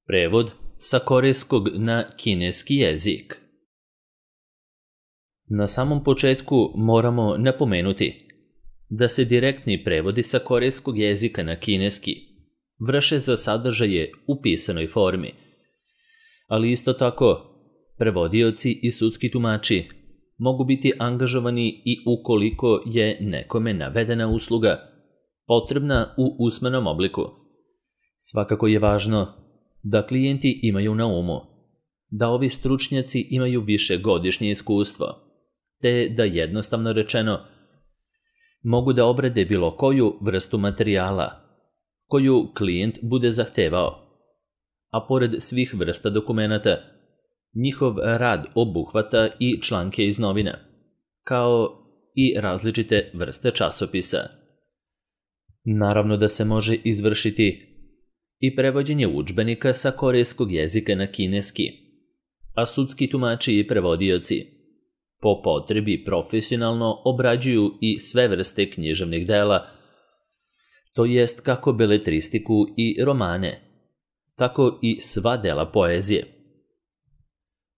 Prevod sa korejskog na kineski jezik. Na samom početku moramo napomenuti da se direktni prevodi sa korejskog jezika na kineski vrše za sadržaje u pisanoj formi, ali isto tako prevodioci i sudski tumači mogu biti angažovani i ukoliko je nekome navedena usluga potrebna u usmenom obliku. Svakako je važno da klijenti imaju na umu da ovi stručnjaci imaju višegodišnje iskustvo, te da jednostavno rečeno mogu da obrade bilo koju vrstu materijala koju klijent bude zahtevao, a pored svih vrsta dokumenata, njihov rad obuhvata i članke iz novina, kao i različite vrste časopisa. Naravno da se može izvršiti i prevođenje udžbenika sa korejskog jezika na kineski, a sudski tumači i prevodioci po potrebi profesionalno obrađuju i sve vrste književnih dela, to jest kako beletristiku i romane, tako i sva dela poezije.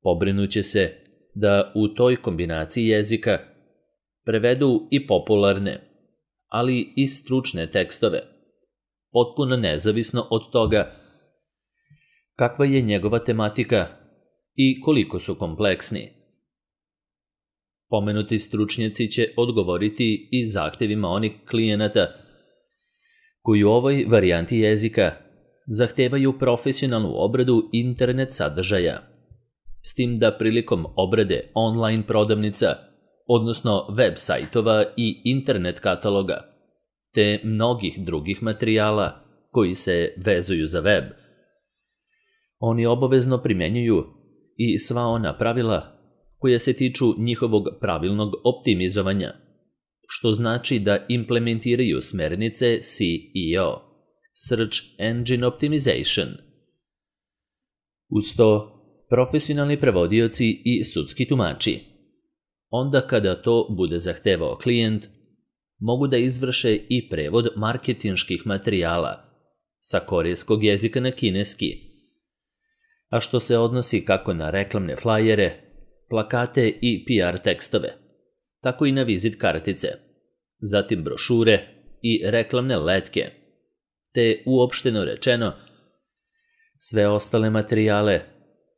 Pobrinuće se da u toj kombinaciji jezika prevedu i popularne, ali i stručne tekstove, potpuno nezavisno od toga kakva je njegova tematika i koliko su kompleksni. Pomenuti stručnjaci će odgovoriti i zahtevima onih klijenata koji u ovoj varijanti jezika zahtevaju profesionalnu obradu internet sadržaja, s tim da prilikom obrade online prodavnica, odnosno web sajtova i internet kataloga, te mnogih drugih materijala koji se vezuju za web, oni obavezno primjenjuju i sva ona pravila koja se tiču njihovog pravilnog optimizovanja, što znači da implementiraju smernice SEO, Search Engine Optimization. Uz to, profesionalni prevodioci i sudski tumači, onda kada to bude zahtevao klijent, mogu da izvrše i prevod marketinških materijala sa korejskog jezika na kineski, a što se odnosi kako na reklamne flajere, plakate i PR tekstove, tako i na vizit kartice, zatim brošure i reklamne letke, te uopšteno rečeno sve ostale materijale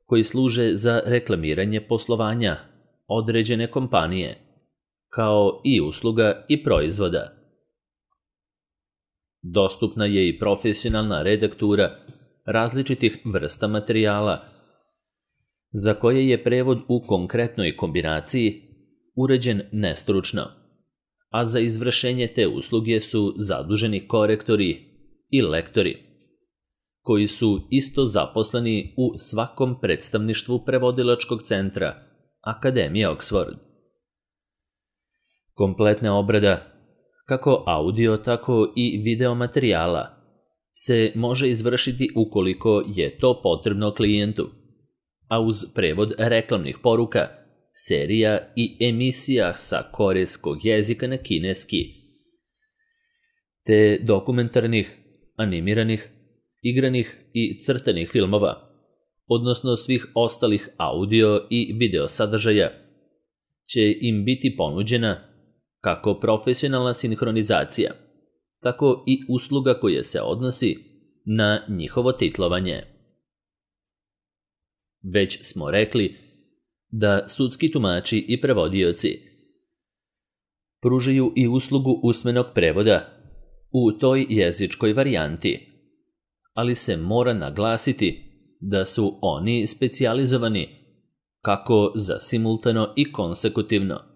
koji služe za reklamiranje poslovanja određene kompanije, kao i usluga i proizvoda. Dostupna je i profesionalna redaktura različitih vrsta materijala, za koje je prevod u konkretnoj kombinaciji uređen nestručno, a za izvršenje te usluge su zaduženi korektori i lektori, koji su isto zaposleni u svakom predstavništvu prevodilačkog centra Akademije Oxford. Kompletna obrada, kako audio, tako i video materijala, se može izvršiti ukoliko je to potrebno klijentu, a uz prevod reklamnih poruka, serija i emisija sa korejskog jezika na kineski, te dokumentarnih, animiranih, igranih i crtanih filmova, odnosno svih ostalih audio i video sadržaja, će im biti ponuđena kako profesionalna sinhronizacija, tako i usluga koja se odnosi na njihovo titlovanje. Već smo rekli da sudski tumači i prevodioci pružaju i uslugu usmenog prevoda u toj jezičkoj varijanti, ali se mora naglasiti da su oni specijalizovani kako za simultano i konsekutivno,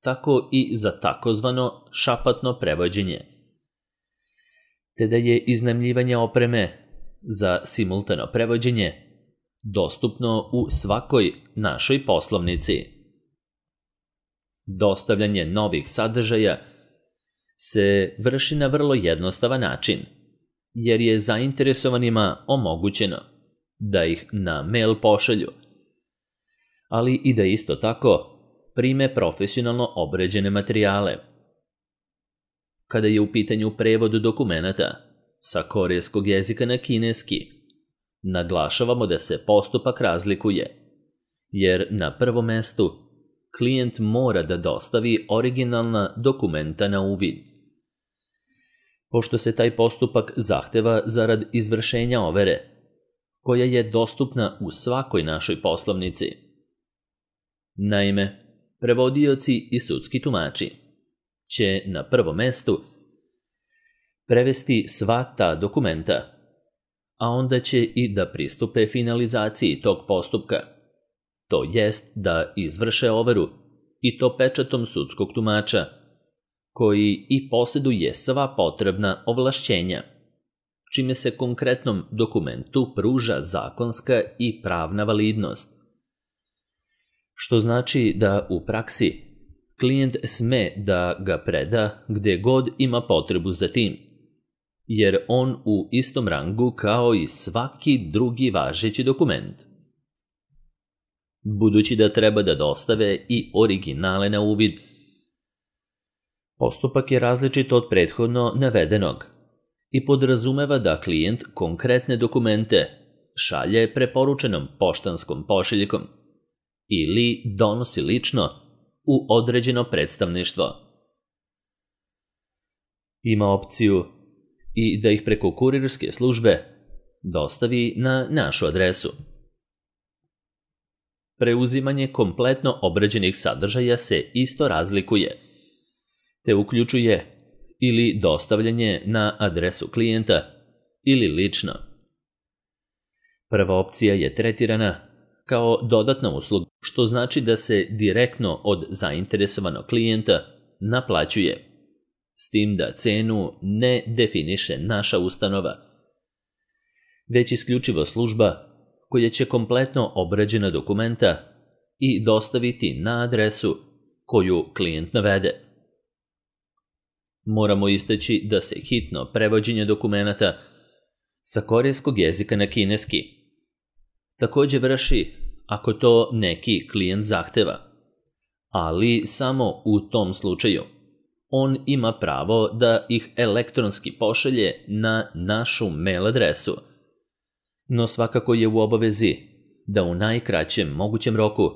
tako i za takozvano šapatno prevođenje, te da je iznajmljivanje opreme za simultano prevođenje dostupno u svakoj našoj poslovnici. Dostavljanje novih sadržaja se vrši na vrlo jednostavan način, jer je zainteresovanima omogućeno da ih na mail pošalju, ali i da isto tako prime profesionalno obrađene materijale. Kada je u pitanju prevod dokumenata sa korejskog jezika na kineski, naglašavamo da se postupak razlikuje, jer na prvom mestu klijent mora da dostavi originalna dokumenta na uvid. Pošto se taj postupak zahteva zarad izvršenja overe, koja je dostupna u svakoj našoj poslovnici. Naime, prevodioci i sudski tumači će na prvom mestu prevesti sva ta dokumenta, a onda će i da pristupe finalizaciji tog postupka, to jest da izvrše overu i to pečatom sudskog tumača, koji i posjeduje sva potrebna ovlašćenja, čime se konkretnom dokumentu pruža zakonska i pravna validnost. Što znači da u praksi klijent sme da ga preda gde god ima potrebu za tim, jer on u istom rangu kao i svaki drugi važeći dokument. Budući da treba da dostave i originale na uvid, postupak je različit od prethodno navedenog i podrazumeva da klijent konkretne dokumente šalje preporučenom poštanskom pošiljkom ili donosi lično u određeno predstavništvo. Ima opciju i da ih preko kurirske službe dostavi na našu adresu. Preuzimanje kompletno obrađenih sadržaja se isto razlikuje, te uključuje ili dostavljanje na adresu klijenta ili lično. Prva opcija je tretirana kao dodatna usluga, što znači da se direktno od zainteresovanog klijenta naplaćuje, s tim da cenu ne definiše naša ustanova, već isključivo služba koja će kompletno obrađena dokumenta i dostaviti na adresu koju klijent navede. Moramo istaći da se hitno prevođenje dokumenata sa korejskog jezika na kineski također vrši ako to neki klijent zahteva, ali samo u tom slučaju. On ima pravo da ih elektronski pošalje na našu mail adresu, no svakako je u obavezi da u najkraćem mogućem roku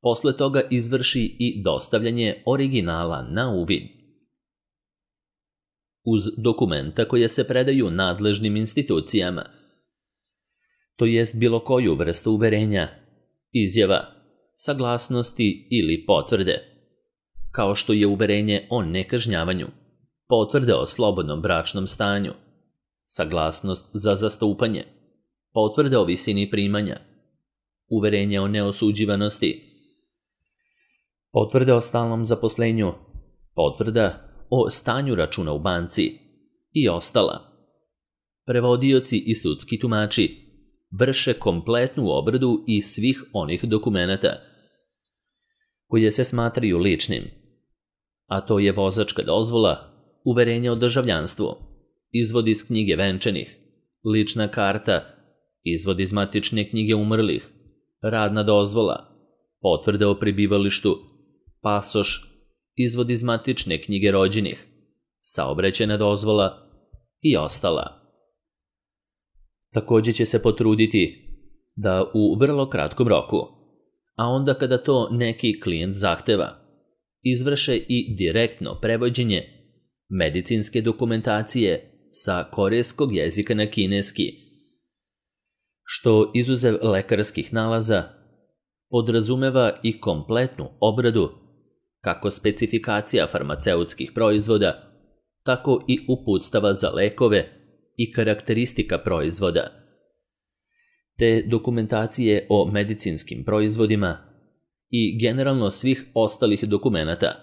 posle toga izvrši i dostavljanje originala na uvid. Uz dokumenta koje se predaju nadležnim institucijama, to jest bilo koju vrstu uverenja, izjava, saglasnosti ili potvrde, kao što je uverenje o nekažnjavanju, potvrde o slobodnom bračnom stanju, saglasnost za zastupanje, potvrde o visini primanja, uverenje o neosuđivanosti, potvrde o stalnom zaposlenju, potvrda o stanju računa u banci i ostala. Prevodioci i sudski tumači vrše kompletnu obradu i svih onih dokumenata koje se smatraju ličnim, a to je vozačka dozvola, uverenje o državljanstvu, izvod iz knjige venčanih, lična karta, izvod iz matične knjige umrlih, radna dozvola, potvrde o prebivalištu, pasoš, izvod iz matične knjige rođenih, saobraćajna dozvola i ostala. Također će se potruditi da u vrlo kratkom roku, a onda kada to neki klijent zahteva, izvrše i direktno prevođenje medicinske dokumentacije sa korejskog jezika na kineski, što izuzev lekarskih nalaza podrazumeva i kompletnu obradu kako specifikacija farmaceutskih proizvoda, tako i uputstava za lekove i karakteristika proizvoda, te dokumentacije o medicinskim proizvodima i generalno svih ostalih dokumenata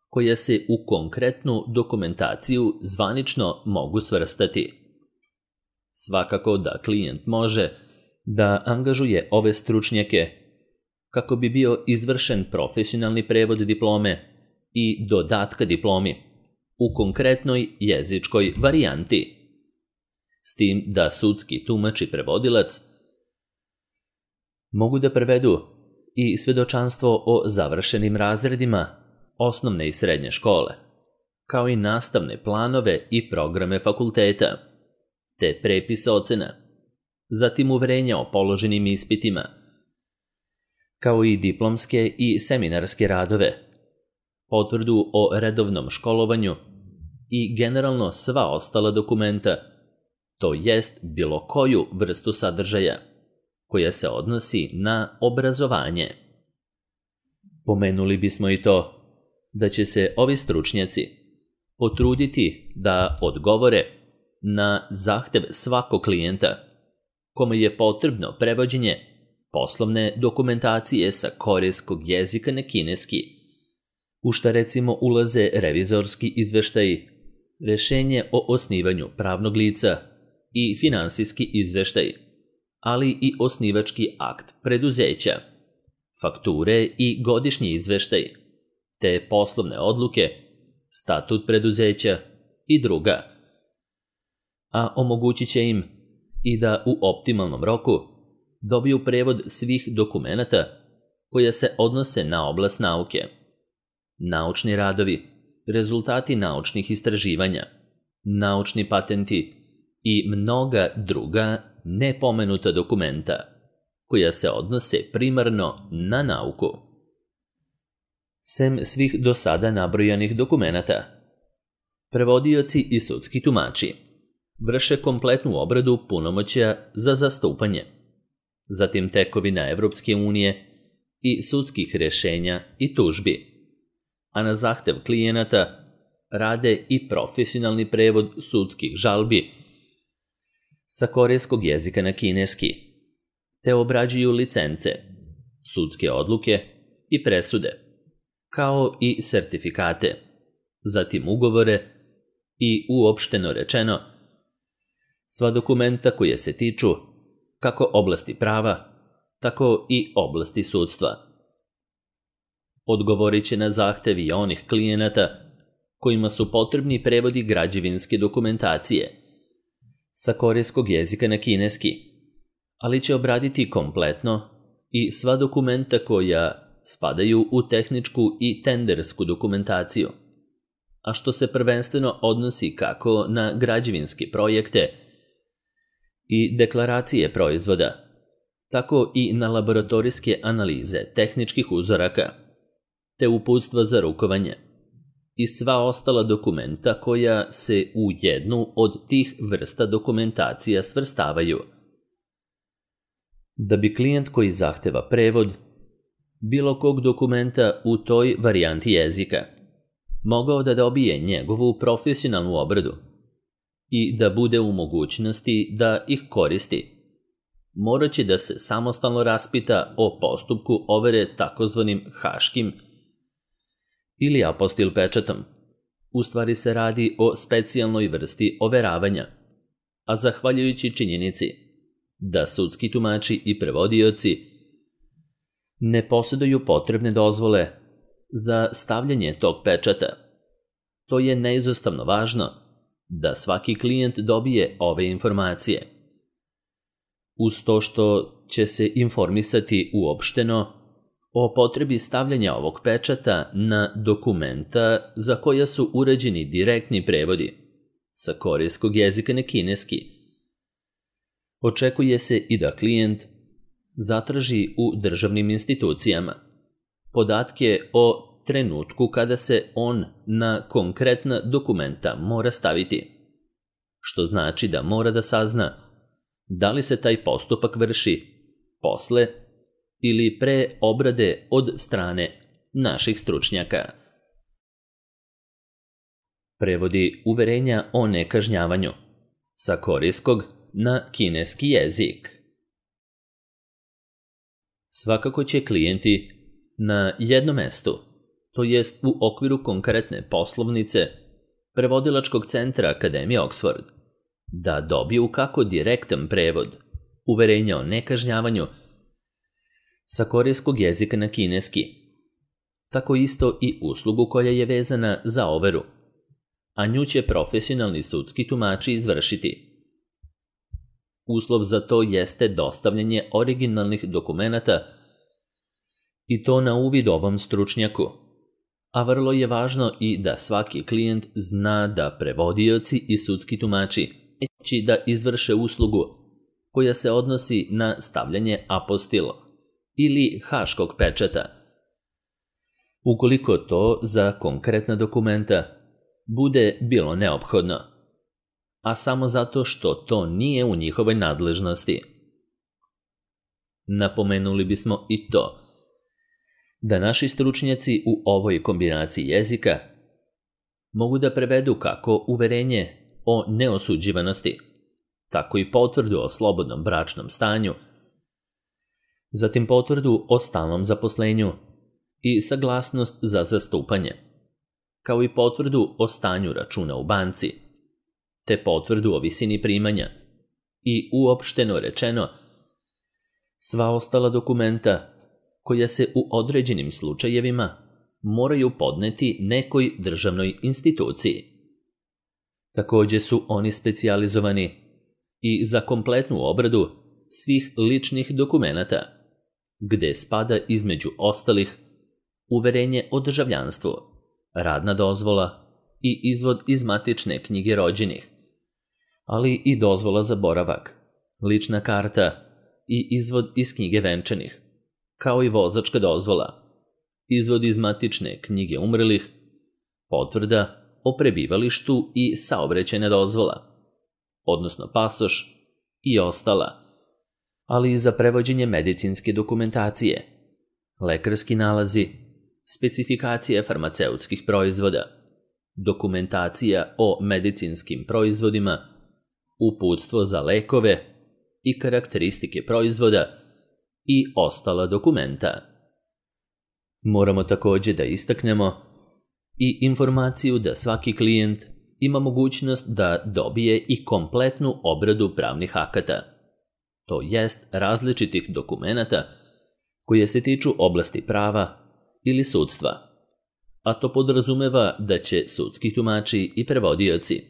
koje se u konkretnu dokumentaciju zvanično mogu svrstati. Svakako da klijent može da angažuje ove stručnjake kako bi bio izvršen profesionalni prevod diplome i dodatka diplomi u konkretnoj jezičkoj varijanti, s tim da sudski tumač i prevodilac mogu da prevedu i svedočanstvo o završenim razredima osnovne i srednje škole, kao i nastavne planove i programe fakulteta, te prepis ocena, zatim uverenja o položenim ispitima, kao i diplomske i seminarske radove, potvrdu o redovnom školovanju i generalno sva ostala dokumenta, to jest bilo koju vrstu sadržaja, koja se odnosi na obrazovanje. Pomenuli bismo i to da će se ovi stručnjaci potruditi da odgovore na zahtev svakog klijenta kome je potrebno prevođenje poslovne dokumentacije sa korejskog jezika na kineski, u šta recimo ulaze revizorski izveštaji, rešenje o osnivanju pravnog lica i finansijski izveštaj, ali i osnivački akt preduzeća, fakture i godišnji izveštaj, te poslovne odluke, statut preduzeća i druga. A omogućit će im i da u optimalnom roku dobiju prevod svih dokumenata koja se odnose na oblast nauke, naučni radovi, rezultati naučnih istraživanja, naučni patenti i mnoga druga nepomenuta dokumenta koja se odnose primarno na nauku. Sem svih do sada nabrojanih dokumenata, prevodioci i sudski tumači vrše kompletnu obradu punomoćja za zastupanje, zatim tekovina Evropske unije i sudskih rešenja i tužbi, a na zahtev klijenata rade i profesionalni prevod sudskih žalbi sa korejskog jezika na kineski, te obrađuju licence, sudske odluke i presude, kao i sertifikate, zatim ugovore i uopšteno rečeno sva dokumenta koje se tiču kako oblasti prava, tako i oblasti sudstva. Odgovorit će na zahtev i onih klijenata kojima su potrebni prevodi građevinske dokumentacije sa korejskog jezika na kineski, ali će obraditi kompletno i sva dokumenta koja spadaju u tehničku i tendersku dokumentaciju, a što se prvenstveno odnosi kako na građevinske projekte i deklaracije proizvoda, tako i na laboratorijske analize tehničkih uzoraka, te uputstva za rukovanje i sva ostala dokumenta koja se u jednu od tih vrsta dokumentacija svrstavaju. Da bi klijent koji zahteva prevod bilo kog dokumenta u toj varijanti jezika mogao da dobije njegovu profesionalnu obradu i da bude u mogućnosti da ih koristi, morat će da se samostalno raspita o postupku overe takozvanim haškim ili apostil pečatom. U stvari se radi o specijalnoj vrsti overavanja, a zahvaljujući činjenici da sudski tumači i prevodioci ne posjeduju potrebne dozvole za stavljanje tog pečata, to je neizostavno važno da svaki klijent dobije ove informacije. Uz to što će se informisati uopšteno o potrebi stavljanja ovog pečata na dokumenta za koja su urađeni direktni prevodi sa korejskog jezika na kineski. Očekuje se i da klijent zatraži u državnim institucijama podatke o trenutku kada se on na konkretna dokumenta mora staviti, što znači da mora da sazna da li se taj postupak vrši posle ili pre obrade od strane naših stručnjaka. Prevodi uverenja o nekažnjavanju sa korejskog na kineski jezik. Svakako će klijenti na jednom mestu, to jest u okviru konkretne poslovnice prevodilačkog centra Akademije Oxford, da dobiju kako direktan prevod uverenja o nekažnjavanju sa korejskog jezika na kineski, tako isto i uslugu koja je vezana za overu, a nju će profesionalni sudski tumači izvršiti. Uslov za to jeste dostavljanje originalnih dokumenata i to na uvid ovom stručnjaku, a vrlo je važno i da svaki klijent zna da prevodioci i sudski tumači neće da izvrše uslugu koja se odnosi na stavljanje apostil ili haškog pečata. Ukoliko to za konkretna dokumenta bude bilo neophodno, a samo zato što to nije u njihovoj nadležnosti. Napomenuli bismo i to da naši stručnjaci u ovoj kombinaciji jezika mogu da prevedu kako uverenje o neosuđivanosti, tako i potvrdu o slobodnom bračnom stanju, zatim potvrdu o stalnom zaposlenju i saglasnost za zastupanje, kao i potvrdu o stanju računa u banci, te potvrdu o visini primanja i, uopšteno rečeno, sva ostala dokumenta koja se u određenim slučajevima moraju podneti nekoj državnoj instituciji. Također su oni specijalizovani i za kompletnu obradu svih ličnih dokumenata, gde spada između ostalih uverenje o državljanstvu, radna dozvola i izvod iz matične knjige rođenih, ali i dozvola za boravak, lična karta i izvod iz knjige venčanih, kao i vozačka dozvola, izvod iz matične knjige umrlih, potvrda o prebivalištu i saobraćajna dozvola, odnosno pasoš i ostala, ali i za prevođenje medicinske dokumentacije, lekarski nalazi, specifikacije farmaceutskih proizvoda, dokumentacija o medicinskim proizvodima, uputstvo za lekove i karakteristike proizvoda i ostala dokumenta. Moramo također da istaknemo i informaciju da svaki klijent ima mogućnost da dobije i kompletnu obradu pravnih akata, to jest različitih dokumenata koje se tiču oblasti prava ili sudstva, a to podrazumeva da će sudski tumači i prevodioci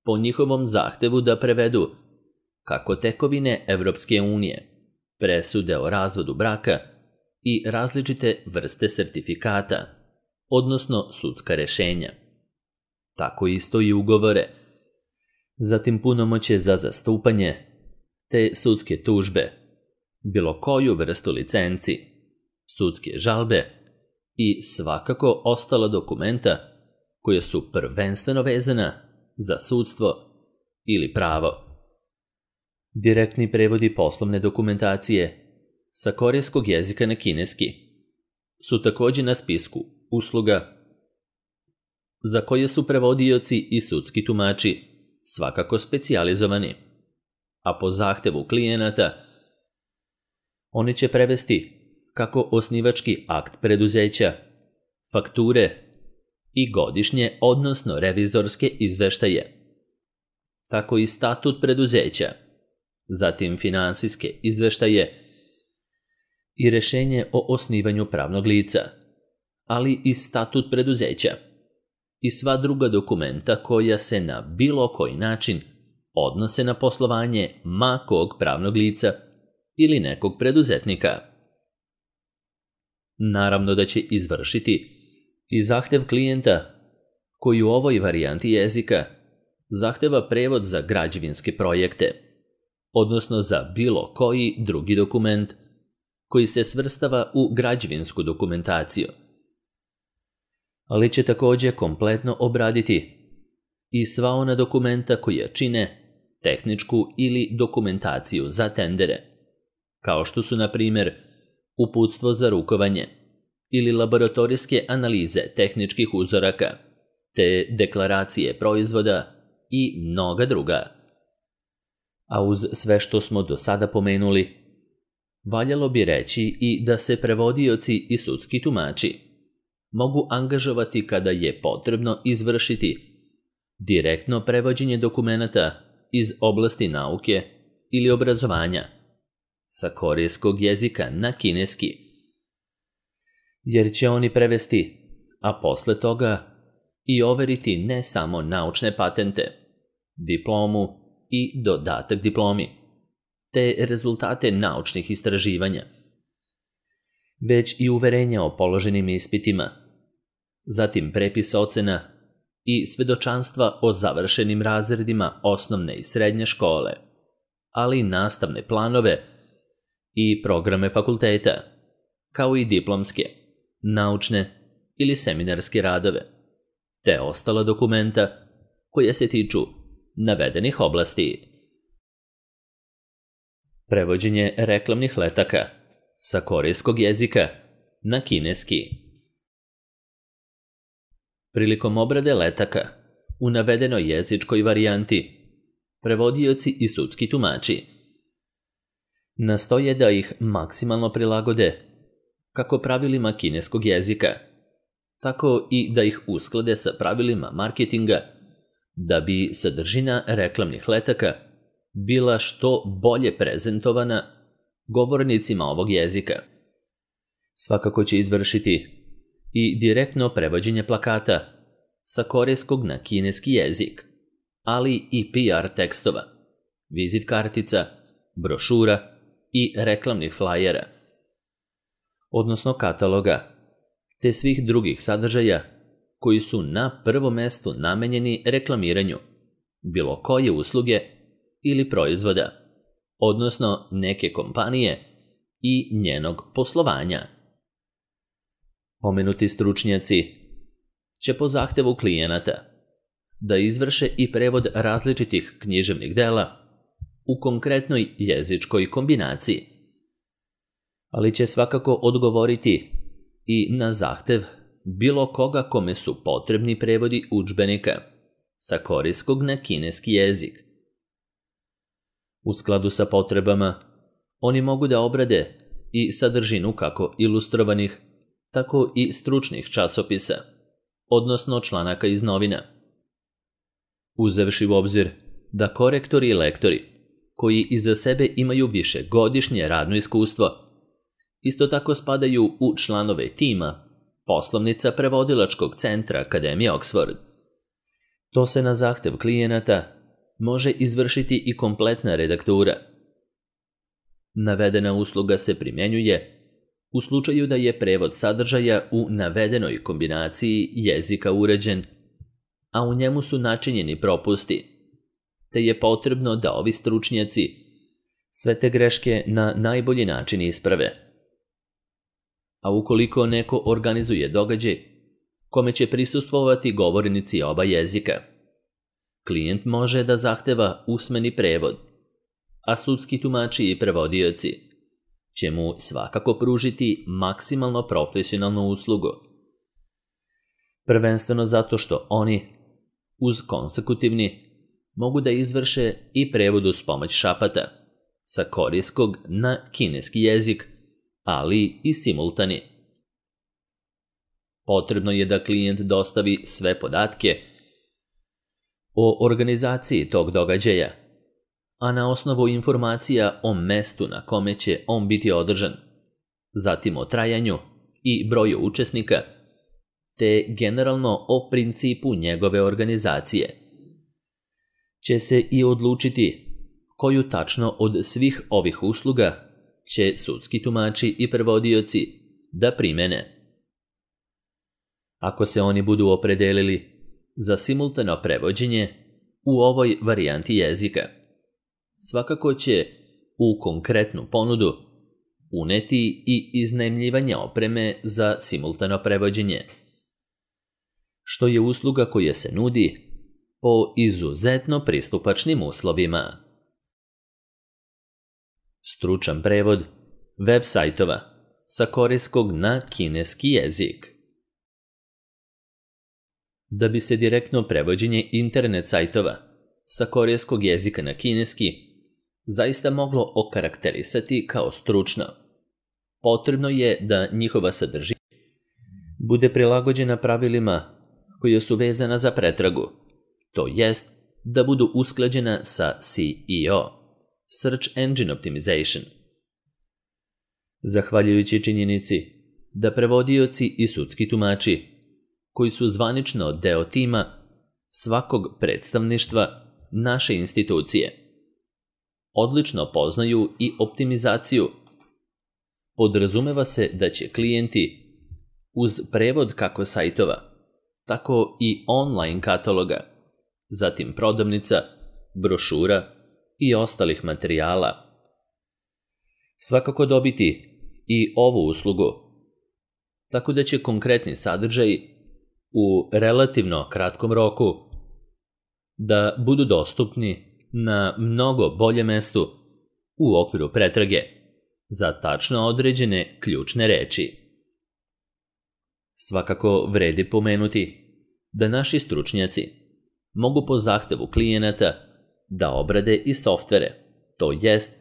po njihovom zahtevu da prevedu kako tekovine Evropske unije, presude o razvodu braka i različite vrste sertifikata, odnosno sudska rešenja. Tako isto i ugovore, zatim punomoćje za zastupanje, te sudske tužbe, bilo koju vrstu licenci, sudske žalbe i svakako ostala dokumenta koja su prvenstveno vezana za sudstvo ili pravo. Direktni prevodi poslovne dokumentacije sa korejskog jezika na kineski su također na spisku usluga za koje su prevodioci i sudski tumači svakako specijalizovani, a po zahtevu klijenata oni će prevesti kako osnivački akt preduzeća, fakture i godišnje, odnosno revizorske izveštaje, tako i statut preduzeća, zatim finansijske izveštaje i rešenje o osnivanju pravnog lica, ali i statut preduzeća i sva druga dokumenta koja se na bilo koji način odnose na poslovanje ma kog pravnog lica ili nekog preduzetnika. Naravno da će izvršiti i zahtev klijenta koji u ovoj varijanti jezika zahteva prevod za građevinske projekte, odnosno za bilo koji drugi dokument koji se svrstava u građevinsku dokumentaciju. Ali će također kompletno obraditi i sva ona dokumenta koja čine tehničku ili dokumentaciju za tendere, kao što su, na primjer, uputstvo za rukovanje ili laboratorijske analize tehničkih uzoraka, te deklaracije proizvoda i mnoga druga. A uz sve što smo do sada pomenuli, valjalo bi reći i da se prevodioci i sudski tumači mogu angažovati kada je potrebno izvršiti direktno prevođenje dokumenata iz oblasti nauke ili obrazovanja sa korejskog jezika na kineski, jer će oni prevesti, a posle toga i overiti ne samo naučne patente, diplomu i dodatak diplomi, te rezultate naučnih istraživanja, već i uverenja o položenim ispitima, zatim prepis ocena i svedočanstva o završenim razredima osnovne i srednje škole, ali i nastavne planove i programe fakulteta, kao i diplomske, naučne ili seminarske radove, te ostala dokumenta koja se tiču navedenih oblasti. Prevođenje reklamnih letaka sa korejskog jezika na kineski. Prilikom obrade letaka u navedenoj jezičkoj varijanti, prevodioci i sudski tumači nastoje da ih maksimalno prilagode kako pravilima kineskog jezika, tako i da ih usklade sa pravilima marketinga, da bi sadržina reklamnih letaka bila što bolje prezentovana govornicima ovog jezika. Svakako će izvršiti i direktno prevođenje plakata sa korejskog na kineski jezik, ali i PR tekstova, vizit kartica, brošura i reklamnih flajera, odnosno kataloga, te svih drugih sadržaja koji su na prvom mestu namenjeni reklamiranju bilo koje usluge ili proizvoda, odnosno neke kompanije i njenog poslovanja. Pomenuti stručnjaci će po zahtevu klijenata da izvrše i prevod različitih književnih dela u konkretnoj jezičkoj kombinaciji, ali će svakako odgovoriti i na zahtev bilo koga kome su potrebni prevodi udžbenika sa korejskog na kineski jezik. U skladu sa potrebama, oni mogu da obrade i sadržinu kako ilustrovanih, tako i stručnih časopisa, odnosno članaka iz novina. Uzevši u obzir da korektori i lektori, koji iza sebe imaju višegodišnje radno iskustvo, isto tako spadaju u članove tima Poslovnica prevodilačkog centra Akademije Oxford. To se na zahtev klijenata može izvršiti i kompletna redaktura. Navedena usluga se primjenjuje u slučaju da je prevod sadržaja u navedenoj kombinaciji jezika uređen, a u njemu su načinjeni propusti, te je potrebno da ovi stručnjaci sve te greške na najbolji način isprave. A ukoliko neko organizuje događaj kome će prisustvovati govornici oba jezika, klijent može da zahteva usmeni prevod, a sudski tumači i prevodioci će mu svakako pružiti maksimalno profesionalnu uslugu. Prvenstveno zato što oni, uz konsekutivni, mogu da izvrše i prevod uz pomoć šapata sa korejskog na kineski jezik, ali i simultani. Potrebno je da klijent dostavi sve podatke o organizaciji tog događaja, a na osnovu informacija o mestu na kome će on biti održan, zatim o trajanju i broju učesnika, te generalno o principu njegove organizacije, će se i odlučiti koju tačno od svih ovih usluga će sudski tumači i prevodioci da primene. Ako se oni budu opredelili za simultano prevođenje u ovoj varijanti jezika, svakako će u konkretnu ponudu uneti i iznajmljivanje opreme za simultano prevođenje, što je usluga koja se nudi po izuzetno pristupačnim uslovima. Stručan prevod web sajtova sa korejskog na kineski jezik. Da bi se direktno prevođenje internet sajtova sa korejskog jezika na kineski zaista moglo okarakterisati kao stručno, potrebno je da njihova sadržina bude prilagođena pravilima koja su vezana za pretragu, to jest da budu usklađena sa SEO, Search Engine Optimization. Zahvaljujući činjenici da prevodioci i sudski tumači, koji su zvanično deo tima svakog predstavništva naše institucije, odlično poznaju i optimizaciju, podrazumeva se da će klijenti uz prevod kako sajtova, tako i online kataloga, zatim prodavnica, brošura i ostalih materijala. Svakako dobiti i ovu uslugu, tako da će konkretni sadržaj u relativno kratkom roku da budu dostupni na mnogo boljem mestu u okviru pretrage za tačno određene ključne reči. Svakako vredi pomenuti da naši stručnjaci mogu po zahtevu klijenata da obrade i softvere, to jest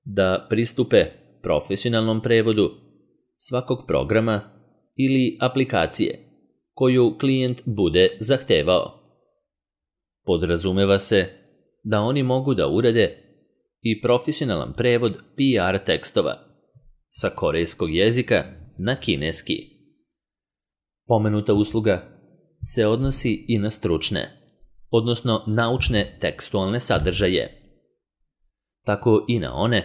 da pristupe profesionalnom prevodu svakog programa ili aplikacije koju klijent bude zahtevao. Podrazumeva se da oni mogu da urade i profesionalan prevod PR tekstova sa korejskog jezika na kineski. Pomenuta usluga se odnosi i na stručne, odnosno naučne tekstualne sadržaje, tako i na one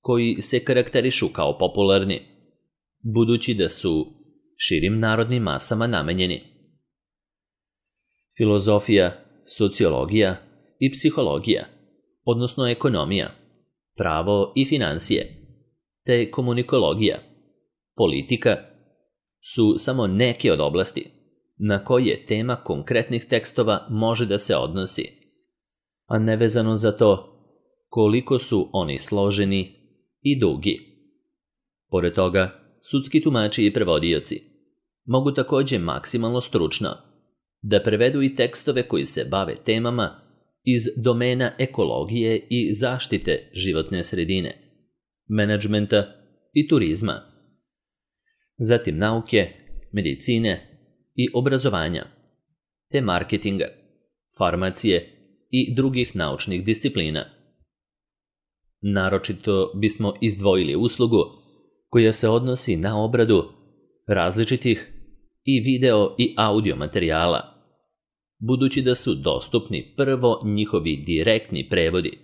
koji se karakterišu kao popularni, budući da su širim narodnim masama namenjeni. Filozofija, sociologija i psihologija, odnosno ekonomija, pravo i financije, te komunikologija, politika, su samo neke od oblasti na koje tema konkretnih tekstova može da se odnosi, a nevezano za to koliko su oni složeni i dugi. Pored toga, sudski tumači i prevodioci mogu također maksimalno stručno da prevedu i tekstove koji se bave temama iz domena ekologije i zaštite životne sredine, menadžmenta i turizma, zatim nauke, medicine i obrazovanja, te marketinga, farmacije i drugih naučnih disciplina. Naročito bismo izdvojili uslugu koja se odnosi na obradu različitih i video i audio materijala, budući da su dostupni prvo njihovi direktni prevodi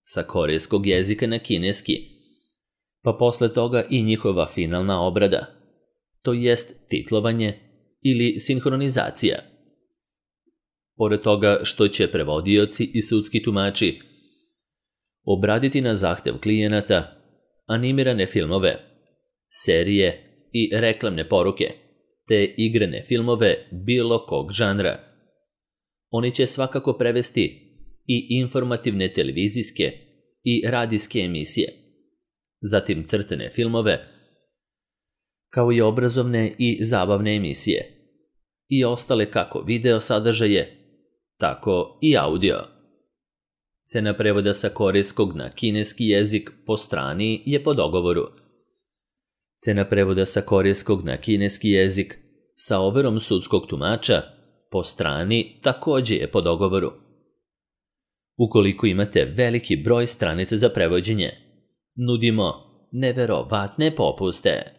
sa korejskog jezika na kineski, pa posle toga i njihova finalna obrada, to jest titlovanje ili sinhronizacija. Pored toga što će prevodioci i sudski tumači obraditi na zahtev klijenata animirane filmove, serije i reklamne poruke, te igrane filmove bilo kog žanra. Oni će svakako prevesti i informativne televizijske i radijske emisije, zatim crtane filmove, kao i obrazovne i zabavne emisije, i ostale kako video sadržaje, tako i audio. Cena prevoda sa korejskog na kineski jezik po strani je po dogovoru. Cena prevoda sa korejskog na kineski jezik sa overom sudskog tumača po strani također je po dogovoru. Ukoliko imate veliki broj stranica za prevođenje, nudimo neverovatne popuste.